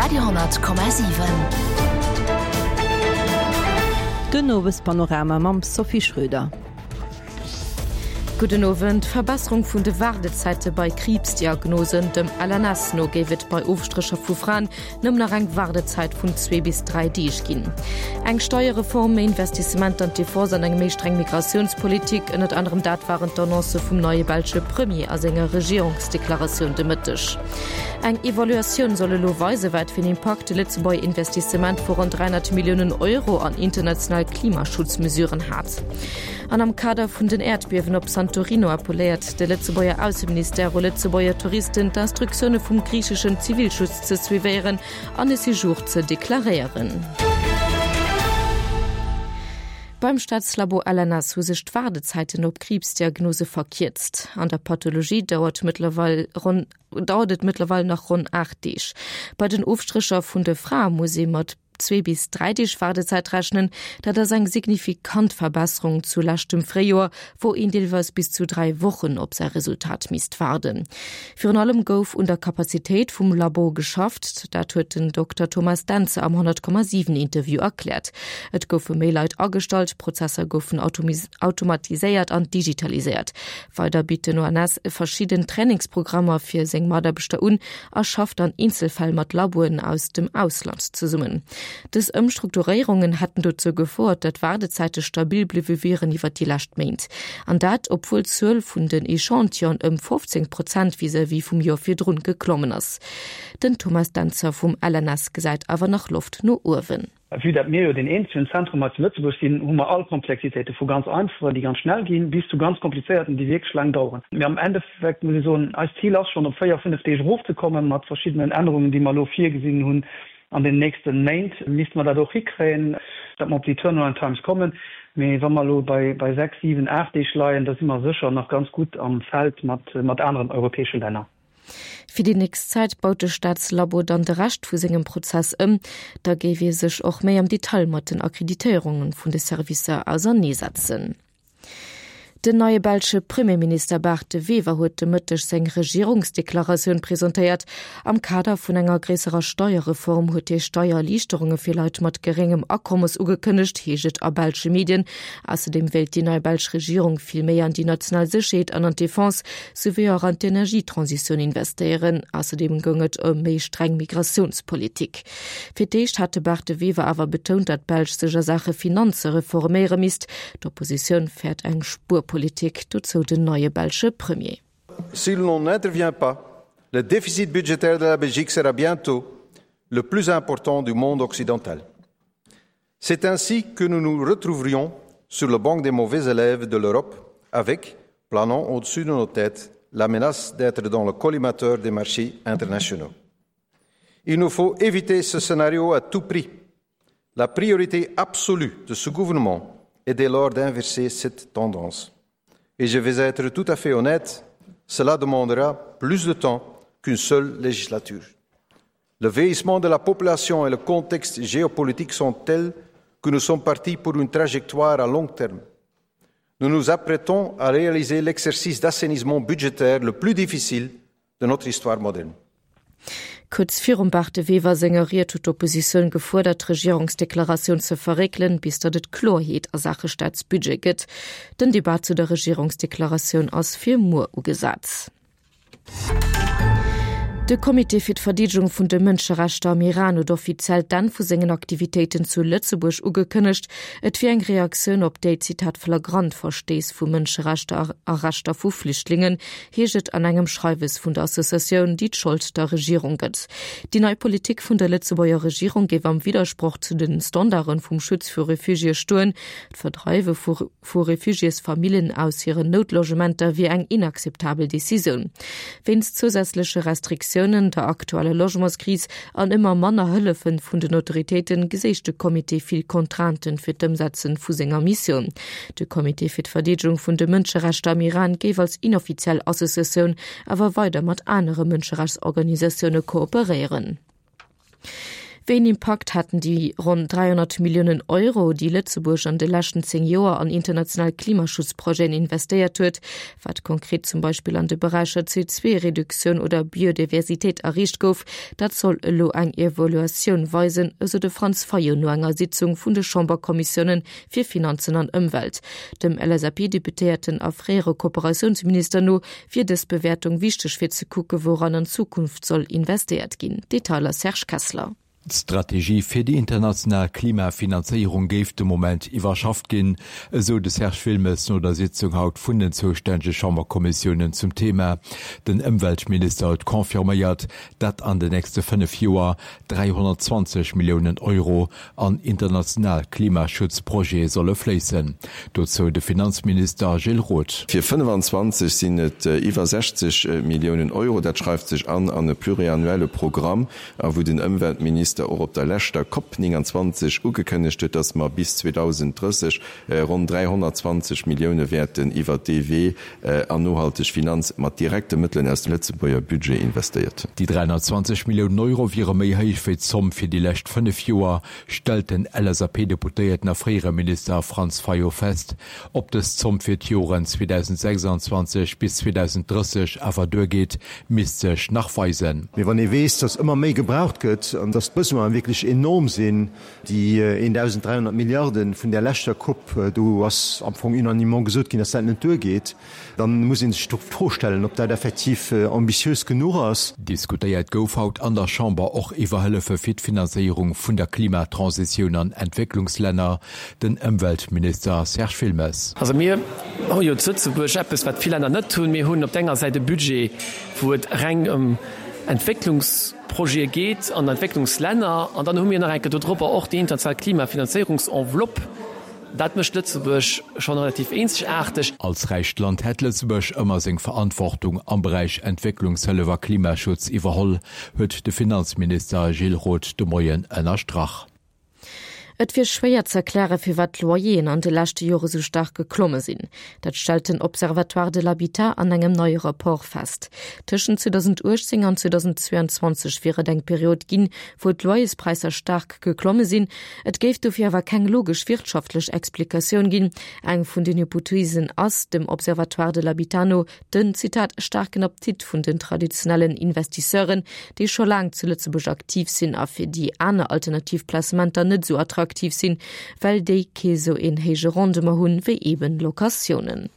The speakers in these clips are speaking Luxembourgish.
Radio 10,7. Den Owespanorama mam Sophie Schröder. Gudden Owend. Verbesserung vun de Waardezäite bei Kriibsdiagnosen. Dem LNS no géif et bei Ofstrécher vu Fraen nëmmen nach eng Waardezäit vun zwee bis dräi Deeg ginn. Eng Steierreform, méi Investissementer an d'Defense an eng méi streng Migratiounspolitik, ënnert anerem dat waren d'Annoncë vum neie belsche Premier a senger Regierungsdeklaratioun de Mëtteg. Eng Evaluatioun soll elo weisen, wat fir en Impakt de Lëtzebuerger Investissement vu ronn 300 Milliounen Euro an international Klimaschutzmesuren hat. An am Kader vun den Äerdbiewen op Santorino appelléiert de Lëtzebuerger Ausseministère u Lëtzebuerger Touristen, d'Instruktioune vum griicheschen Zivilschutz ze suivéieren an e Séjour ze deklaréieren. Beim Staatslabo LNS hu sech d'Waardezäiten op Kriibsdiagnose verkierzt. An der Pathologie dauert mëttlerweil ronn dauert et mëttlerweil nach ronn 8 Deeg. Bei den Ofstrécher vun de Frae muss ee mat zwee bis dräi Deeg Waardezäit rechnen. Dat ass eng signifikant Verbesserung zu leschtem Fréijoer, wou een deelweis bis zu dräi Wochen op säi Resultat misst waarden. Virun allem gouf un der Kapazitéit vum Labo geschafft. Dat huet den Dokter Thomas Dentzer am 100,7 Interview erkläert. Et goufe méi Leit agestallt, Prozesser goufen automatiséiert an digitaliséiert. Weider bitt den ONS verschidden Trainingsprogrammer fir seng Mataarbechter un a schafft an Eenzelfäll mat Laboen aus dem Ausland zesummen. Dës Ëmstrukturéierungen hätten dozou gefouert, datt d'Waardezäite stabil bliwwe wieren iwwer déi lescht Méint. An dat, obwuel d'Zuel vun den Echantillonen ëm 15 Prozent vis-à-vis vum Joer virdrun geklommen ass. Den Thomas Dentzer vum LNS gesäit awer nach Loft no uewen. Vue dat mir jo deen eenzegen Zentrum hei zu Lëtzebuerg sinn, hu mer all Komplexitéite, vu ganz einfachen, déi ganz schnell ginn, bis zu ganz komplizéierten, déi wierklech laang daueren. Mee am Endeffekt muss ee soen, eist Zil ass schonn, op véier, fënnef Deeg erofzekommen. Mat verschiddenen Ännerungen, déi mer elo virgesinn hunn an den nächste Méint, misste mer dat och hikréien, datt mer op déi Turnaround times kommen. Mee wa mer elo bei sechs, siwen, aacht Deeg leien, da si mer sécher nach ganz gutt am Feld mat aneren europäesche Länner. Fir déi nächst Zäit baut de Staatslabo dann de Rescht vu sengem Prozess ëm. Da géif ee sech och méi am Detail mat den Akkreditéierunge vun de Servicer auserneesetzen. Den neie belsche Premierminister Bart De Wever huet de Mëtteg seng Regierungsdeklaratioun presentéiert. Am Kader vun enger gréisserer Steierreform huet hie Steiererliichterunge fir Leit mat geréngem Akommes ugekënnegt, heescht et a belsche Medien. Ausserdeem wéilt déi nei belsch Regierung vill méi an déi national Sécherheet an an d'Defense souwéi och an d'Energietransitioun investéieren. Ausserdeem goung et ëm méi streng Migratiounspolitik. Fir d'éischt hat de Bart De Wever awer betount, datt d'Belsch sech a Saache Finanze reforméiere misst. D'Oppositioun fäert eng Spuerpolitik, dozou den neie belsche Premier. Si l'on n'intervient pas, le déficit budgétaire de la Belgique sera bientôt le plus important du monde occidental. C'est ainsi que nous nous retrouverions sur le banc des mauvais élèves de l'Europe avec, planant au-dessus de nos têtes, la menace d'être dans le collimateur des marchés internationaux. Il nous faut éviter ce scénario à tout prix. La priorité absolue de ce gouvernement est dès lors d'inverser cette tendance. Et je vais être tout à fait honnête, cela demandera plus de temps qu'une seule législature. Le vieillissement de la population et le contexte géopolitique sont tels que nous sommes partis pour une trajectoire à long terme. Nous nous apprêtons à réaliser l'exercice d'assainissement budgétaire le plus difficile de notre histoire moderne. Kuerz virum Bart De Wever senger Ried huet d'Oppositioun gefuerdert, d'Regierungsdeklaratioun ze verréckelen, bis datt et Kloerheet a Saache Staatsbudget gëtt. Den Debat zu der Regierungsdeklaratioun ass fir muer ugesat. De Comité fir d'Verdeedegung vun de Mënscherechter am Iran huet offiziell d'Enn vu sengen Aktivitéiten zu Lëtzebuerg ugekënnegt. Et wier eng Reaktioun op déi, Zitat, flagrant Verstéiss vu Mënscherechter a Rechter vu Flüchtlingen, heescht et an engem Schreiwes vun der Associatioun, déi d'Schold der Regierung gëtt. Déi nei Politik vun der Lëtzebuerger Regierung géif am Widdersproch zu de Standarde vum Schutz vu Refugiéë stoen. D'Verdreiwe vu vu Refugiésfamillen aus hiren Noutlogementer wier eng inakzeptabel Decisioun. Wéinst zousätzleche Restriktiounen, der aktueller Logementskris an ëmmer manner Hëllefe vun den Autoritéite geséich de Comité vill Contrainten fir d'Ëmsetze vu senger Missioun. De Comité fir d'Verdeedegung vun de Mënscherechter am Iran géif als inoffiziell Associatioun awer weider mat anere Mënscherechtsorganisatioune kooperéieren. Wéi een Impakt haten déi ronn 300 Milliounen Euro, déi Lëtzebuerg an de leschten 10 Joer an international Klimaschutzprojeten investéiert huet, wat konkret zum Beispill an de Beräicher CO2-Reduktioun oder Biodiversitéit erreecht gouf, dat soll elo eng Evaluatioun weisen, esou de Franz Fayot no enger Sitzung vun de Chamberkommissioune fir Finanzen an Ëmwelt. Dem LSAP-Deputéierten a fréiere Kooperatiounsminister no wier dës Bewäertung wichteg fir ze kucke wouran an Zukunft soll investéiert ginn. Detailer Serge Kessler. D'Strategie fir déi international Klimafinanzéierung géif de Moment iwwerschafft ginn, esou de Serge Wilmes no der Sitzung haut vun den zoustännege Chamberkommissiounen zum Thema. Den Ëmweltminister huet confirméiert, datt an den nächste 5 Joer 320 Milliounen Euro an international Klimaschutzprojete solle fléissen. Dozou de Finanzminister Gilles Roth. Fir 25 sinn et iwwer 60 Milliounen Euro. Dat schreift sech an an e pluriannuelle Programm, a wou den Ëmweltminister och op der leschter Cop 29 ugekënnegt huet, dass mer bis 2030 ronn 320 Millioune wäerten iwwert dee Wee an nohalteg Finanz mat direkte Mëttelen aus dem Lëtzebuerger Budget investéiert hunn. Déi 320 Milliounen Euro wiere méi héich wéi d'Zomm fir déi lescht 5 Joer, stellt den LSAP-Deputéierten a fréiere Minister Franz Fayot fest. Ob dës Zomm fir d'Joren 2026 bis 2030 awer duergeet, misst sech nach weisen. Mee wann ee weess, datt ëmmer méi gebraucht gëtt an datt d'Besoine wierklech enorm sinn, déi 1.300 Milliarde vun där leschter Coupe, do ass am Fong unanimement gesot ginn, datt dat net duergeet, da muss ee sech d'Fro stellen, ob dat effektiv ambitiös genuch ass. Diskutéiert gouf haut an der Chamber och iwwer Hëllefe fir d'Finanzéierung vun der Klimatransitioun an Entwécklungslänner. Den Ëmweltminister Serge Wilmes. Also mir hu jo zu Lëtzebuerg eppes, wat vill Länner net hunn. Mir hunn op der enger Säit e Budget, wou et reng ëm Entwécklungsprojete geet an Entwécklungslänner. An dann hu mir nach eng Kéier dodropper och déi international Klimafinanzéierungsenveloppe. Dat mécht Lëtzebuerg schonn relativ eenzegaarteg. Als räicht Land hätt Lëtzebuerg ëmmer seng Verantwortung am Beräich Entwécklungshëllef a Klimaschutz iwwerholl, huet de Finanzminister Gilles Roth de Moien ënnerstrach. Et wier schwéier ze erklären, firwat d'Loyeren an de leschte Jore sou staark geklomme sinn. Dat stellt den Observatoire de l'habitat an engem neie Rapport fest. Tëschent 2018 an 2022 wier et eng Period ginn, wou d'Loyerspräisser staark geklomme sinn. Et géif dofir awer keng logesch wirtschaftlech Explikatioun ginn. Eng vun den Hypothesen ass, dem Observatoire de l'habitat no, Den, Zitat, staarken Appetit vun den traditionellen Investisseuren, déi scho laang zu Lëtzebuerg aktiv sinn a fir déi aner alternativ Placementer net esou attraktiv sinn, well déi kee sou een héije Rendement hunn, wéi eben Locatiounen.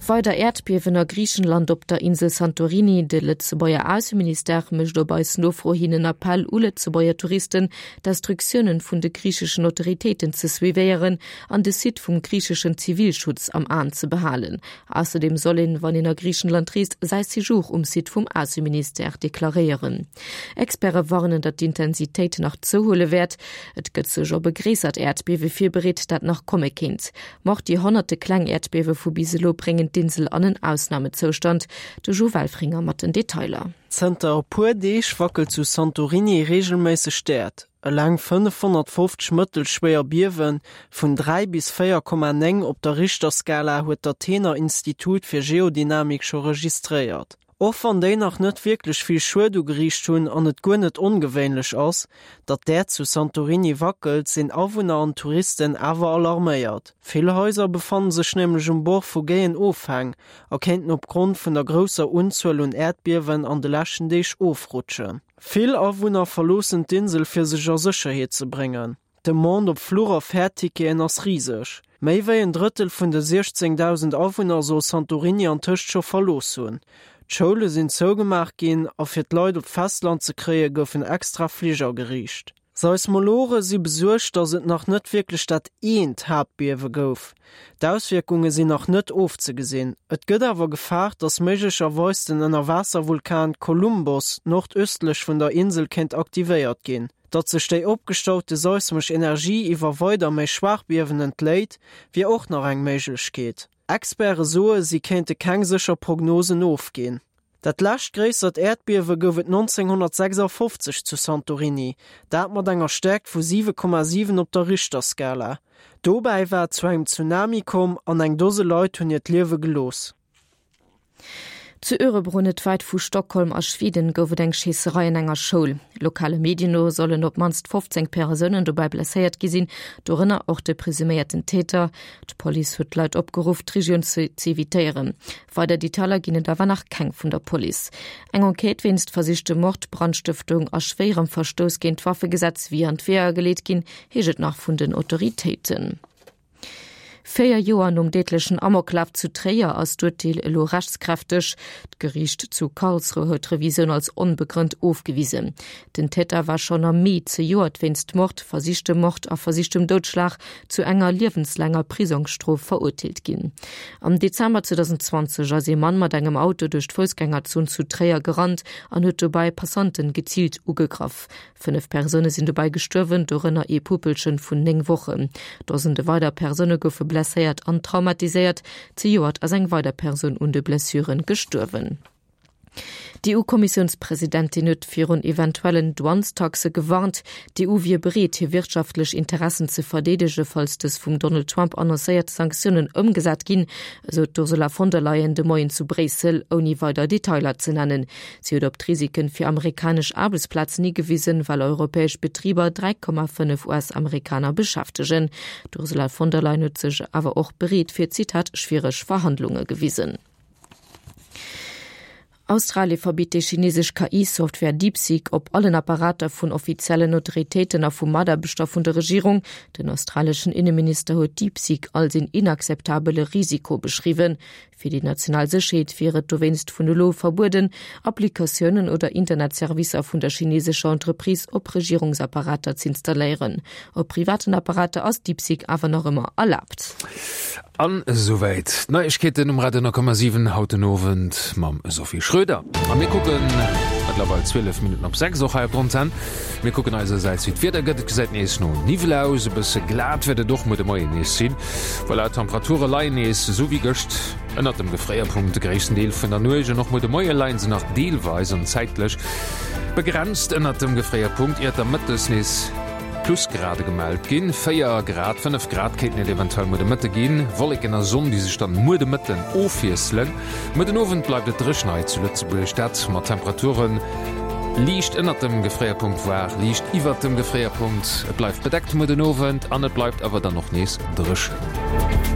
Weider Äerdbiewen a Griichenland op der Insel Santorini. De Lëtzebuerger Ausseministère mécht op eis Nofro hin en Appell u Lëtzebuerger Touristen, d'Instruktiounen vun de griicheschen Autoritéiten ze suivéieren an de Site vum griicheschen Zivilschutz am Aen ze behalen. Ausserdeem soll een, wann een a Griichenland reest, säi Séjour um Site vum Ausseministère deklaréieren. Experte warnen, datt d'Intensitéit nach zouhuele wäert. Et gëtt sech op e gréissert Äerdbiewe virbereet, dat nach komme kéint. Ma och déi honnerte kleng Äerdbiewe vu bis elo bréngen d'Insel an en Ausnamezoustand. De Jo Welfringer mat den Detailer. Zënter e puer Deeg wackelt zu Santorini reegelméisseg d'Äerd. Eleng 550 mëttelschwéier Biewe vun 3 bis 4,9 op der Richterskala huet d'Athener Institut fir Geodynamik scho registréiert. Och wann déi nach net wierklech vill Schued ugeriicht hunn an et guer net ongewéinlech ass, datt d'Äerd zu Santorini wackelt, sinn Awunner an Touristen awer alarméiert. Vill Haiser befanne sech nämlech um Bord vu géien Ofhäng a kéinten opgrond vun der grousser Unzuel un Äerdbiewen an de leschten Deeg ofrutschen. Vill Awunner verloossen d'Insel fir sech a Sécherheet ze bréngen. D'Demande op Fluch a Fährticketen ass riseg. Méi wéi en Drëttel vun de 16.000 Awunner soll Santorini antëscht scho verlooss hunn. D'Schoule sinn zougemaach ginn a fir d'Leit op d'Festland ze kréie goufen extra Flich ageriicht. Seismologe si besuergt, datt et nach net wierklech dat eent Haaptbiewe gouf. D'Auswierkunge sinn nach net ofzegesinn. Et gëtt awer gefaart, datt méiglecherweis den Ënnerwaasservulkan Kolumbos nordöstlech vun der Insel kéint aktivéiert ginn. Datt sech déi opgestaute seismesch Energie iwwer weider méi schwaach Biewen entléit, wier och nach eng Méiglechkeet. Experte soe si kéinte keng sécher Prognosen ofginn. Dat lescht gréissert Äerdbiewe gouf et 1956 zu Santorini, dat mat enger Stäerkt vu 7,7 op der Richterskala. Dobäi war et zu engem Tsunami komm an eng Dose Leit hunn hiert Liewe gelooss. Zu Örebro, net wäit vu Stockholm a Schweden, gouf et eng Schéisserei an enger Schoul. Lokale Medien no sollen op d'mannst 15 Persounen dobäi blesséiert gi sinn, dorënner och de presuméierten Täter. D'Police huet d'Leit opgeruff, d'Regioun ze evitéieren. Weider Detailer ginn et awer nach keng vun der Police. Eng Enquête wéinst versichtem Mord, Brandstëftung a schwéierem Verstouss géint d'Waffegesetz wier an d'Weeër geleet ginn, heescht et nach vun den Autoritéiten. 4 Joer nom déidlechen Amoklaf zu Tréier ass d'Urteel elo rechtskräfteg. D'Geriicht zu Karlsruhe huet d'Revisioun als onbegrënnt ofgewisen. Den Täter war schonn am Mee zejoert wéinst Mord, versichtem Mord a versichtem Doudschlag zu enger liewenslaanger Prisongsstrof verurteelt ginn. Am Dezember 2020 ass ee Mann mat engem Auto duerch d'Foussgängerzon zu Tréier gerannt an huet dobäi Passanten geziilt ugegraff. 5 Persoune sinn dobäi gestuerwen, dorënner ee Puppelchen vun 9 Wochen. Dosende weider Persoune goufe blesséiert an traumatiséiert. Zejoert ass eng weider Persoun un de Blessuren gestuerwen. D'EU-Kommissiounspresidentin huet virun eventuellen Douanestaxe gewarnt. D'EU wier bereet, hir wirtschaftlech Interessen ze verdeedege falls dës vum Donald Trump annoncéiert Sanktiounen ëmgesat ginn, esou d'Ursula von der Leyen de Moien zu Bréissel, ouni weider Detailer ze nennen. Si huet op d'Risiken fir amerikanesch Aarbechtsplazen higewisen, well europäesch Betriber 3,5 US-Amerikaner beschäftegen. D'Ursula von der Leyen huet sech awer och bereet fir, Zitat, schwiereg Verhandlunge gewisen. Australie verbitt déi chinesesch KI-Software DeepSeek op allen Apparater vun offiziellen Autoritéiten a vu Mataarbechter vun der Regierung. Den australeschen Inneminister huet DeepSeek als een inakzeptabele Risiko beschriwwen. Fir déi national Sécherheet wier et dowéinst vun elo verbueden, Applikatiounen oder Internetservicer vun der chinesescher Entreprise op Regierungsapparater z'installéieren. Op privaten Apparater ass DeepSeek awer nach ëmmer erlaabt. An esouwäit d'Neiegkeeten um Radio 10,7 haut den Owend mam Sophie Schröder. A mir kucken, mëttlerweil 12 Minutten op 6 och hei op der Antenn, mir kucken eisersäits wéi d'Wieder gëtt. Et gesäit nees no Niwwel aus, e bësse glat wäert et och muer de Moien nees sinn. Voilà, d'Temperature leien nees esou wéi gëscht ënnert dem Gefréierpunkt de gréissten Deel vun der Nuecht an och muer de Moie leien se nach deelweis an zäitlech begrenzt ënnert dem Gefréierpunkt, iert da mëttes nees Plusgrade gemellt ginn. 4 Grad, 5 Grad kéinten et eventuell muer de Mëtte ginn. Wolleken a Sonn, déi sech dann muer de Mëtten ofwiesselen. Muer den Owend bleift et dréchen hei zu Lëtzebuerg, dat mat Temperaturen liicht ënnert dem Gefréierpunkt, voire liicht iwwert dem Gefréierpunkt. Et bleift bedeckt muer den Owend an et bleift awer dann och nees dréchen.